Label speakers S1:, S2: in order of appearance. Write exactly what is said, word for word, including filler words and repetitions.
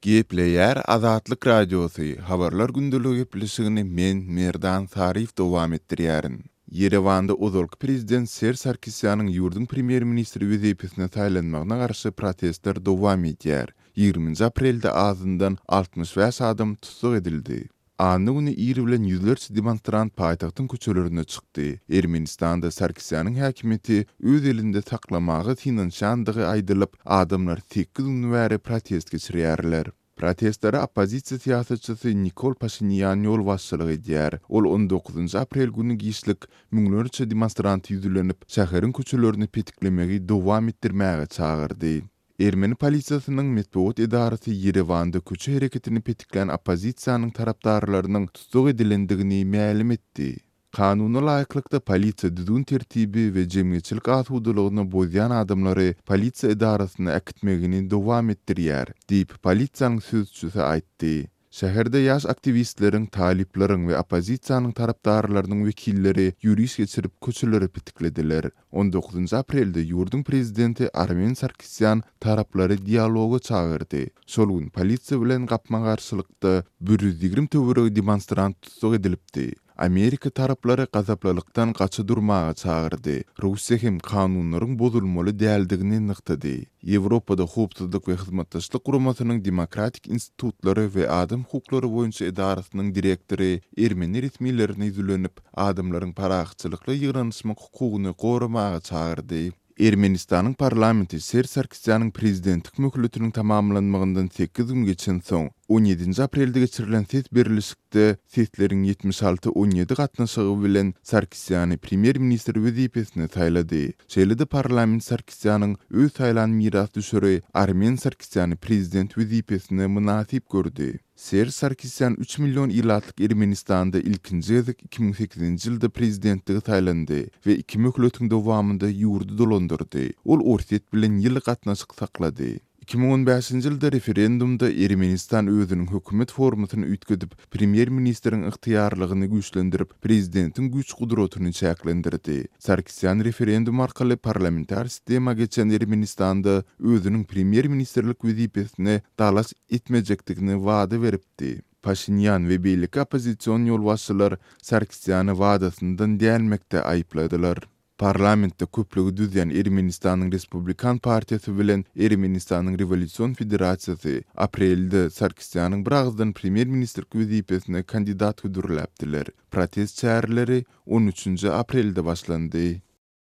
S1: Gepleýär Azatlyk Radiosy, Habarlar gündeligi gepleşigini men, Merdan Saryýew dowam etdirýärin. Ýerewanda ozalky prezident Serž Sarkisýanyň ýurduň premýer-ministri wezipesine saýlanmagyna garşy protestler dowam edýär. Ýigriminji aprelde azyndan altmyş bäş adam tussag edildi. Anna güni ir bilen ýüzlerçe demonstrant paýtagtyň köçelerine çykdy. Ermenistanda Sarkisýanyň häkimiýeti öz elinde saklamaga synanyşýandygy aýdylyp, adamlar sekiz gün bäri protest geçirýärler. Protestlere oppozisiýa syýasatçysy Nikol Paşinýan ýolbaşçylyk edýär. Ol on dokuzynjy aprel güni giçlik müňlerçe demonstranta ýüzlenip, şäheriň köçelerini petiklemegi dowam etdirmäge çagyrdy. Ermeni polisiýasynyň metbugat edarasy Ýerewanda köçe hereketini petiklän oppozisiýanyň tarapdarlarynyň tussag edilendigini mälim etdi. Kanuna laýyklykda polisiýa düzgün tertibi we jemgyýetçilik asudalygyny bozýan adamlary polisiýa edarasyna äkitmegini dowam etdirýär, diýip, polisiýanyň sözçüsi aýtdy. Şäherde ýaş aktiwistleriň, talyplaryň we oppozisiýanyň tarapdarlarynyň wekilleri ýöriş geçirip köçeleri petiklediler. On dokuzynjy aprelde ýurduň prezidenti Armen Sarkisýan taraplary dialoga çagyrdy. Şol gün polisiýa bilen gapma-garşylykda bir ýüz ýigrimi töweregi demonstrant tussag edilipdi. Amerika taraplary gazaplylykdan gaça durmaga çagyrdy. Russiýa hem kanunlaryň bozulmaly däldigini nygtady. Ýewropada Howpsuzlyk we Hyzmatdaşlyk Guramasynyň Demokratik institutlary we adam hukuklary boýunça edarasynyň direktory ermeni resmilerine ýüzlenip, adamlaryň parahatçylykly ýygnanyşmak hukugyny goramaga çagyrdy. Ermenistanyň parlamenti Serž Sarkisýanyň prezidentlik möhletiniň tamamlanmagyndan sekiz gün geçensoň, on ýedinji aprelde geçirilen ses berlişikde sesleriň ýetmiş alty on ýedi gatnaşygy bilen Sarkisýany premýer-ministr wezipesine saýlady. Şeýle-de parlament Sarkisýanyň öz saýlan mirasdüşeri Armen Sarkisýany prezident wezipesine mynasyp gördi. Serž Sarkisýan üç million ilatlyk Ermenistanda ilkinji gezek iki müň sekizinji ýylda prezidentligi saýlandy we iki möhletiň dowamynda ýurdy dolandyrdy. Ol Orsýet bilen ýyly gatnaşyk saklady. Iki müň on bäşinji ýylda referendumda Ermenistan özüniň hökümet formasyny üýtgedip, premýer-ministriň ygtyýarlygyny güýçlendirip, prezidentiň güýç-gudratyny çäklendirdi. Sarkisýan referendum arkaly parlamentar sistema geçen Ermenistanda özüniň premýer-ministrlik wezipesine dalaş etmejekdigini wada beripdi. Paşinýan we beýleki oppozision ýolbaşçylar Sarkisýany wadasyndan dänmekde aýypladylar. Parlamentde köplügi düzýän Ermenistanyň Respublikan partiýasy bilen Ermenistanyň Rewolýusion federasiýasy aprelde Sarkisýanyň biragyzdan premýer-ministrlik wezipesine kandidat hödürläpdiler. Protest çäreleri on üçünji aprelde başlandy.